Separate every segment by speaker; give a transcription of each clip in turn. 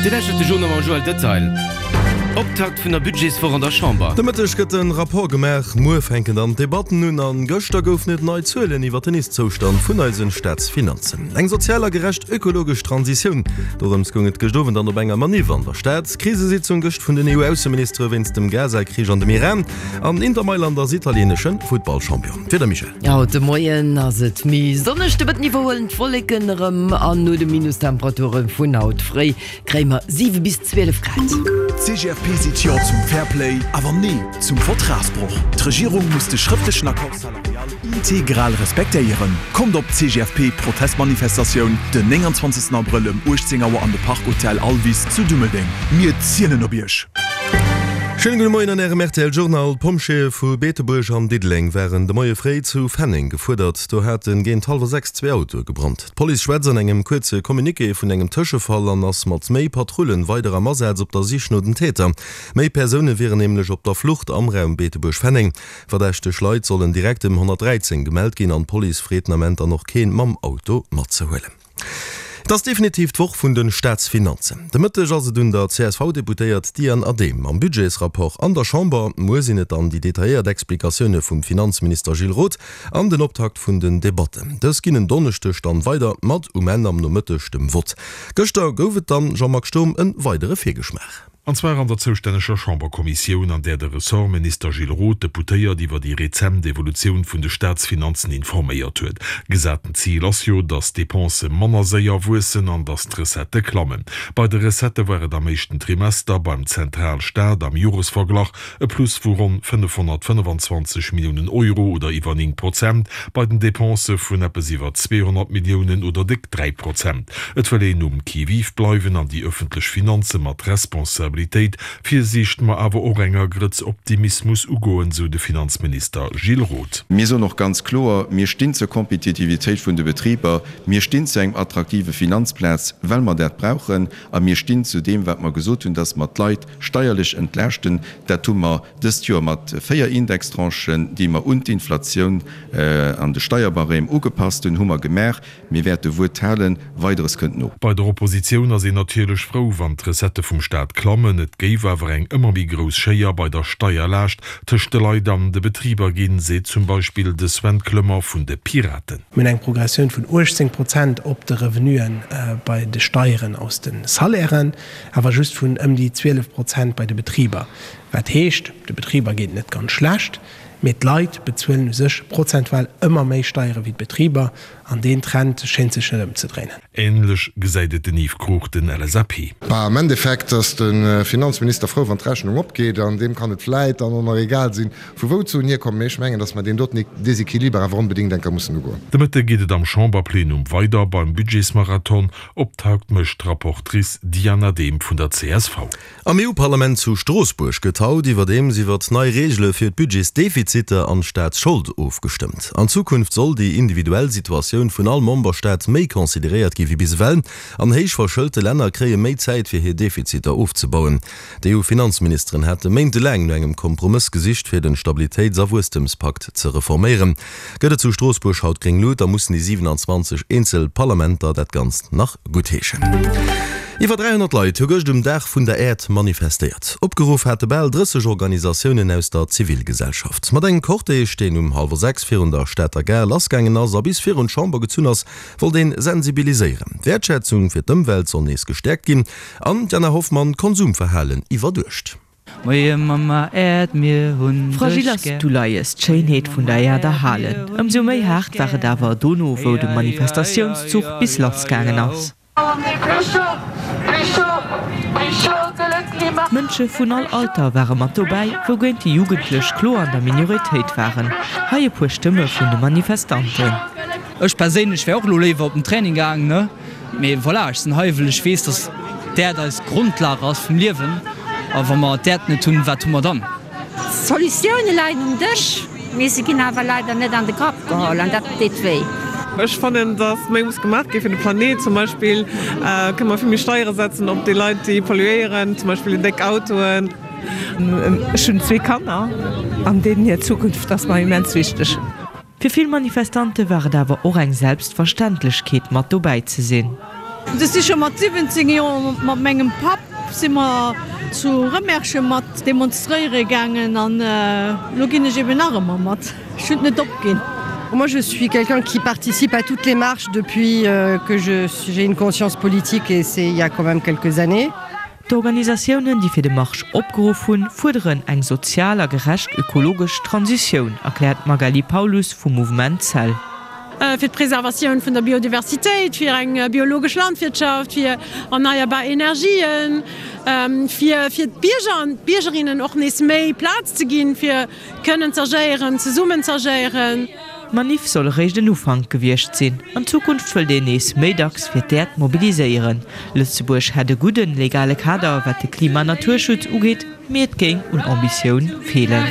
Speaker 1: Dir lauschtert de Journal mam Joël Detail. Optakt vun der Budgetswoch an der Chamber.
Speaker 2: De Mëtteg gëtt den Rapport gemaach, muer fänken dann d'Debatten un an gëschter goufen et nei Zuelen iwwer den Ist-Zoustand vun eisen Staatsfinanzen. Eng sozial a gerecht ökologesch Transitioun, dorëms goung et gëscht Owend an op enger Maniff an der Stad. Krisesitzung gëscht vun den EU-Ausseministere wéinst dem Gaza-Krich an dem Iran an Inter Mailand ass italienesche Futtballchampion. D'Wieder, Michèle.
Speaker 3: Haut de Moien ass et méi sonneg, de Mëtten iwwerhuelen d'Wolleken erëm an no de Minustemperature vun haut fréi kréie mer 7 bis 12 Grad.
Speaker 4: D'CGFP seet Jo zum Fairplay, awer Nee zum Vertragsbroch. D'Regierung muss de schrëftlechen Accord salarial integral respektéieren. Kommt op d'CGFP-Protestmanifestatioun den 29 Abrëll ëm 18 Auer an de Park Hotel Alvis zu Dummeldeng. Mir zielen op Iech!
Speaker 2: Schéine gudde Moien an Ärem rtl Journal. D'Pompjeeë vu Beetebuerg an Diddeleng waren de Moie fréi zu Fenneng gefuerdert. Do hate géint hallwer 6 zwee Autoe gebrannt. D'Police schwätzt an engem kuerze Communiqué vun engem Tëschefall an ass mat méi Patrullen weider am Asaz op der Sich no den Täter. Méi Persoune wieren nämlech op der Flucht am Raum Beetebuerg-Fenneng. Verdächteg Leit sollen direkt dem 113 gemellt ginn an d'Police freet den Ament dann och keen mam Auto matzehuelen. Et ass definitiv d'Woch vun de Staatsfinanzen. De Mëtteg ass et un der CSV-Deputéiert Diane Adehm mam Budgetsrapport an der Chamber. Muer sinn et dann déi detailléiert Explikatioune vum Finanzminister Gilles Roth an den Optakt vun den Debatten. Dës ginn en Donneschdeg dann weider mat um Enn am Nomëtteg dem Vott. Gëschter gouf et dann, Jean-Marc Sturm, en weidere Virgeschmaach.
Speaker 5: An zwar an der zoustänneger Chamberkommissioun, an där de Ressortminister Gilles Roth d'Deputéiert iwwer déi rezent Evolutioun vun de Staatsfinanzen informéiert huet. Gesaten Zil ass jo, datt d'Depensë manner séier wuessen an datt d'Recettë klammen. Bei de Recettë war et am éischten Trimester beim Zentralstaat am Joresverglach e Plus vu ronn 525 Milliounen Euro oder iwwer 9 Prozent, bei den Depensë vun eppes iwwer 200 Milliounen oder déck 3 Prozent. Et wëll een um Qui-vive bleiwen an déi ëffentlech Finanze mat Responsabilitéit, Virsiicht, ma awer och enger Grëtz Optimismus ugoen, sou de Finanzminister Gilles Roth.
Speaker 6: Mir soen och ganz kloer, Mir stinn zur Kompetitivitéit vun de Betriber, mir stinn zu engem attraktive Finanzplaz, well mer dat brauchen, a mir stinn zu deem, wat mer gesot hunn, dass mer d'Leit steierlech entlaaschten. Dat hu mer dëst Joer mat véier Indextranchen, déi mer un d'Inflatioun an de Steierbarème ugepasst hunn, hu mer gemaach. Mir wäerte Wuert halen, Weideres kënnt no.
Speaker 5: Bei der Oppositioun ass een natierlech frou, wann d'Recettë vum Staat klammen. Et géif awer eng ëmmer méi grouss Schéier bei der Steierlaascht tëscht de Leit an de Betriber ginn, seet zum Beispill de Sven Clement vun de Piraten.
Speaker 7: Mir hunn eng Progressioun vun 18 Prozent op de Revenuen bei de Steieren aus de Salairen, awer just vun ëm déi 12 Prozent bei de Betriber. Wat heescht, de Betriber geet et net ganz schlecht, mee d'Leit bezuelen u sech prozentual ëmmer méi Steiere wéi d'Betriber. An deen Trend schéint sech net ëmzedréinen.
Speaker 5: Ähnlech gesäit et den Yves Cruchten, LSAP.
Speaker 8: Bah, am Endeffekt ass de Finanzminister frou, wann d'Rechnung opgeet, an deem kann et vläit dann och nach egal sinn, vu wou d'Suen hierkommen. Mee ech mengen, datt mer deen doten Desequiliber awer onbedéngt eng Kéier mussen ugoen.
Speaker 5: De Mëtte geet et am Chamberplenum weider beim Budgetsmarathon. Optakt mécht d'Rapportrice Diane Adehm vun der csv.
Speaker 2: Am EU-Parlament zu Stroossbuerg gëtt haut iwwerdeems iwwert nei Reegele fir d'Budgetsdefiziter an d'Staatsschold ofgestëmmt. An Zukunft soll déi individuell Situatioun vun all Memberstaat méi consideréiert gi wéi bis ewell, an héich verschëlte Länner kréie méi Zäit fir hir Defiziter ofzebauen. D'EU-Finanzministeren hate méintelaang no engem Kompromëss gesicht fir den Stabilitéits a Wuesstemspakt ze reforméieren. Gëtt et zu Stroossbuerg haut gréng Lut, da mussen déi 27 eenzel Parlamenter dat Ganzt nach guttheeschen. Iwwer 300 Leit hu gëscht um Dag vun der Äerd manifestéiert. Opgeruff hate bal 30 Organisatiounen aus der Zivilgesellschaft. Mat engem Cortège, deen um hallwer 6 virun der Stater Gare lassgaangen ass a bis virun d'Chamber gezunn ass, wollt een sensibiliséieren. D'Wäertschätzung fir d'Ëmwelt soll nees gestäerkt ginn an, d'Jana Hoffmann, d'Konsumverhalen iwwerduecht.
Speaker 9: Moie Mamma Äerd, mir hunn
Speaker 10: Fragil
Speaker 9: dech
Speaker 10: ass
Speaker 9: gär.
Speaker 10: d'Uleies, d'Schéinheet vun der Äerd erhalen. Ëmsou méi haart war et awer dono, wou de Manifestatiounszuch bis lass gaangen ass. Mënsche vun all Alter ware mat dobäi, wougéint déi Jugendlech kloer an der Minoritéit waren. Hei e puer Stëmme vun de Manifestanten.
Speaker 11: Ech perséinlech wär och elo léiwer op den Training gaangen, ne? Mee voilà, ech sinn hei, wëll ech weess, dass d'Äerd eis Grondlag ass vum Liewen. A wa mer d'Äerd net hunn, wat hu mer dann?
Speaker 12: D'Solutioune leien um Dësch, mee se ginn awer leider net an de Grapp geholl an dat deet wéi.
Speaker 13: Ech fannen, datt méi muss gemaach gi fir de Planet. Zum Beispill kënne mer vill méi Steiere setzen op déi Leit, déi polluéieren, zum Beispill déi déck Autoen.
Speaker 14: Ech hunn zwee Kanner an deenen hir Zukunft ass mer immens wichteg.
Speaker 10: Fir vill Manifestante war et awer och eng Selbstverständlechkeet mat dobäi ze sinn.
Speaker 15: Ech si scho mat 17 Joer mat mengem Papp si mer zu Rëmerschen mat demonstréiere gaangen an elo ginn ech eben nach ëmmer mat. Ech hunn et net opginn.
Speaker 16: Moi je suis quelqu'un qui participe à toutes les marches depuis que je j'ai une conscience politique et c'est il y a quand même quelques années.
Speaker 10: D'Organisatiounen, déi fir de Marsch opgeruff hunn, fuerderen eng sozial a gerecht ökologesch Transitioun, erkläert d'Magali Paulus vum Mouvement Cell.
Speaker 17: Fir d'Preservatioun vun der Biodiversitéit, fir eng biologesch Landwirtschaft, fir erneierbar Energien, fir fir d'Bierger an d'Biergerinnen och nees méi Plaz ze ginn, fir kënnen z'agéieren, zesummen z'agéieren.
Speaker 10: D'Manif soll eréischt en Ufank gewiescht sinn. An Zukunft wëllt een nees méi dacks fir d'Äerd mobiliséieren. Lëtzebuerg hätt e gudden legale Kader, wat de Klima an Naturschutz ugeet, mee et géing un Ambitioun feelen.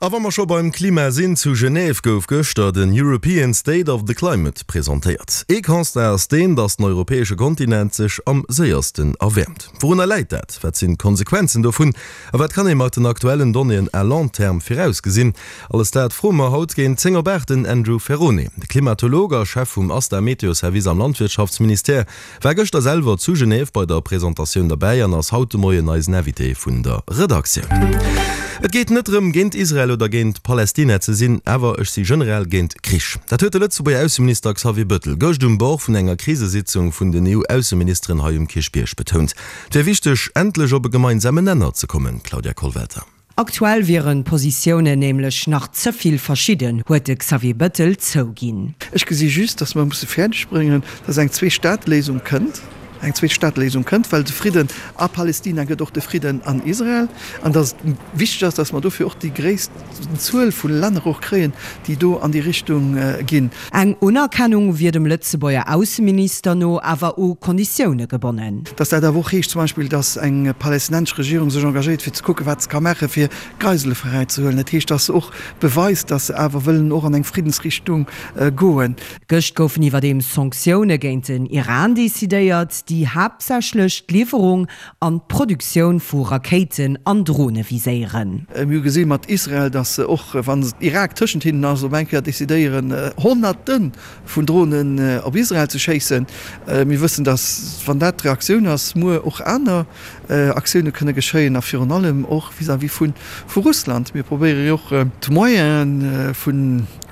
Speaker 2: A wa mer scho beim Klima sinn, Zu Genève gouf gëschter den European State of the Climate presentéiert. Ee Constat ass deen, datt den europäesche Kontinent sech am séiersten erwäermt. Wourunner läit dat? Wat sinn d'Konsequenzen dovun? A wat kann ee mat den aktuellen Donnéeën à long terme virausgesinn? Alles dat froe mer haut géint 10 op 8 den Andrew Ferrone. De Klimatolog a Chef vum ASTA Meteo-Service am Landwirtschaftsministère war gëschter selwer zu Genève bei der Presentatioun derbäi an ass haut de Moien eisen Invité vun der Redaktioun. Et geet net drëm géint Israel oder géint Palästina ze sinn, awer ech si generell géint Krich. Dat huet de Lëtzebuerger Ausseminister Xavier Bëttel gëscht um Bord vun enger Krisesitzung vun den EU-Ausseministeren hei um Kierchbierg betount. Et wär wichteg, endlech op e gemeinsamen Nenner ze kommen, Claudia Kollwelter.
Speaker 3: Aktuell wieren d'Positiounen nämlech nach ze vill verschidden, huet de Xavier Bëttel zouginn.
Speaker 18: Ech gesi just, datt mer musse fäerdeg bréngen, datt eng Zweestateléisung kënnt, eng Zweestateléisung kënnt, well de Fridden a Palestina gëtt och de Fridden an Israel, an datt et wichteg ass, datt mer dofir och déi gréisst Zuel vu Länner och kréien, déi do an déi Richtung ginn.
Speaker 3: Eng Unerkennung wier dem Lëtzebuerger Ausseminister no awer u Konditioune gebonnen.
Speaker 18: Datt dat awer och heescht zum Beispill, datt eng palästinensesch Regierung sech engagéiert fir ze kucken, wat se ka maachen, fir Geisele fräizehuelen. Dat heescht, datt se och beweist, datt se awer wëllen och an eng Friddensrichtung goen.
Speaker 3: Gëscht goufen iwwerdeems Sanktioune géint den Iran decidéiert, déi haaptsächlech d'Liwwerung an d'Produktioun vu Rakéiten an Drone viséieren.
Speaker 18: Mir hu gesi mat Israel, datt se och, wann Irak tëschent hinnen ass, op eng Kéier decidéieren, Honnerte vun Dronen op Israel ze schéissen. Mir wëssen, datt, wann dat d'Reaktioun ass, muer och aner Aktioune kënne geschéien a virun allem och vis-à-vis vu Russland. Mir probéiere jo och d'Moyene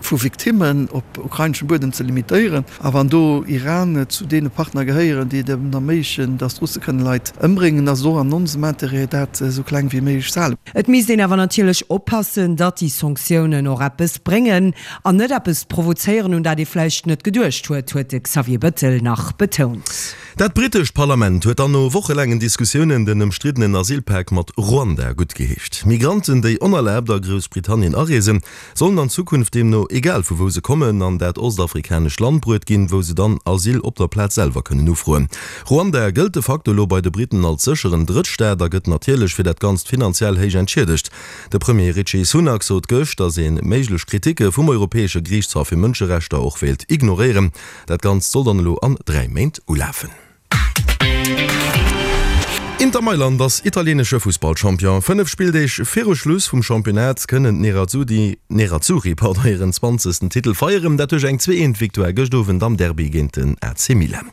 Speaker 18: vu Victimmen op ukraineschem Buedem ze limitéieren. A wann do Iran zu deene Partner gehéieren, déi et eben erméiglechen, datt d'Russe kënne Leit ëmbréngen, ass et och an onsem Interêt, dat esou kleng wéi méiglech ze halen.
Speaker 3: Et misst een awer natierlech oppassen, datt déi Sanktiounen och eppes bréngen an net eppes provozéieren, un dat ee vläicht net geduecht huet, huet de Xavier Bëttel nach betount.
Speaker 2: Dat britescht Parlament huet dann no wochelaangen Diskussiounen den ëmstriddenen Asylpak mat Ruanda guttgeheescht. Migranten, déi onerlaabt a Groussbritannien areesen, sollen an Zukunft deemno, egal vu wou se kommen, an dat ostafrikanescht Land bruet ginn, wou se dann Asyl op der Plaz selwer kënnen ufroen. Ruanda gëllt de facto elo bei de Briten als sécheren Drëttstaat a gëtt natierlech fir dat Ganzt finanziell héich entschiedegt. De Premier Richi Sunak sot gëscht, datt ee méiglech Kriticke vum Europäesche Geriichtshaff fir Mënscherechter och wéilt ignoréieren. Dat Ganzt soll dann elo an 3 Méint ulafen. Inter Mailand ass italienesche Fussballchampion. 5 Spilldeeg viru Schluss vum Championnat kënnen d'Nerazzurri Nerazzurri pardon hiren zwanzegsten Titel feieren, dat duerch eng 2 Eent Victoire gëscht Owend am Derby géint den AC Milan.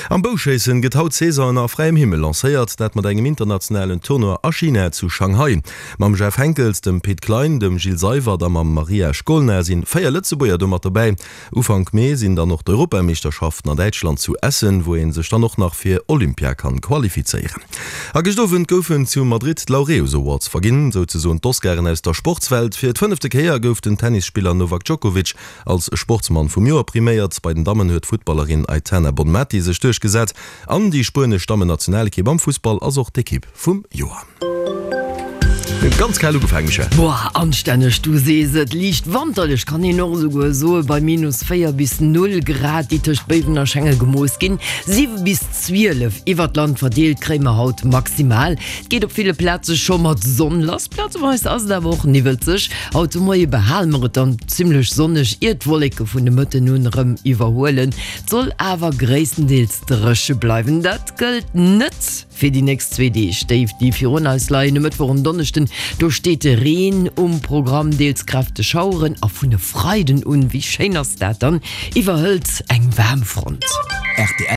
Speaker 2: Am Bouschéissen gëtt haut d'Saison ënner fräiem Himmel lancéiert, dat mat engem internationalen Tournoi a China zu Shanghai. Mam Jeff Henckels, dem Pit Klein, dem Gilles Seywert a mam Maria Shkolna sinn 4 Lëtzebuerger do mat dobäi. Ufank Mee sinn dann och d'Europameeschterschaften an Däitschland zu Essen, wou ee sech dann och nach fir Olympia kann qualifizéieren. A gëscht Owend goufen zu Madrid d'Laureus Awards verginn, souzesoen d'Oscaren aus der Sportswelt. Fir d'fënnefte Kéier gouf den Tennisspiller Novak Djokovic als Sportsmann vum Joer priméiert. Bei den Dammen huet d'Futtballerin Aitana Bonmati sech duerchgesat an déi spuenesch Dammennationalekipp am Fussball ass och d'Ekipp vum Joer. Ganz kal ugefaangen, Michèle.
Speaker 3: Boah, anstänneg, du sees et. Liicht wanterlech kann een och esouguer soen, bei minus 4 bis 0 Grad, déi tëscht Béiwen a Schengen gemooss ginn. 7 bis 12 iwwer d'Land verdeelt kréie mer haut maximal. Et geet op ville Plaze scho mat Sonn lass, plazeweis ass et awer och niwwelzeg. Haut de Moie behale mer et dann zimmlech sonneg, ier d'Wolleke vun de Mëtten un erëm iwwerhuelen. Et soll awer gréisstendeels dréche bleiwen. Dat gëllt net. Fir déi nächst zwee Deeg, déi déi virun eis leien, e Mëttwoch an Donneschden, do steet de Reen um Programm, deels kräfteg Schaueren a vun e Freiden un, wéi schéin ass dat dann, iwwerhëlt eng Waarmfront.
Speaker 4: Rtl.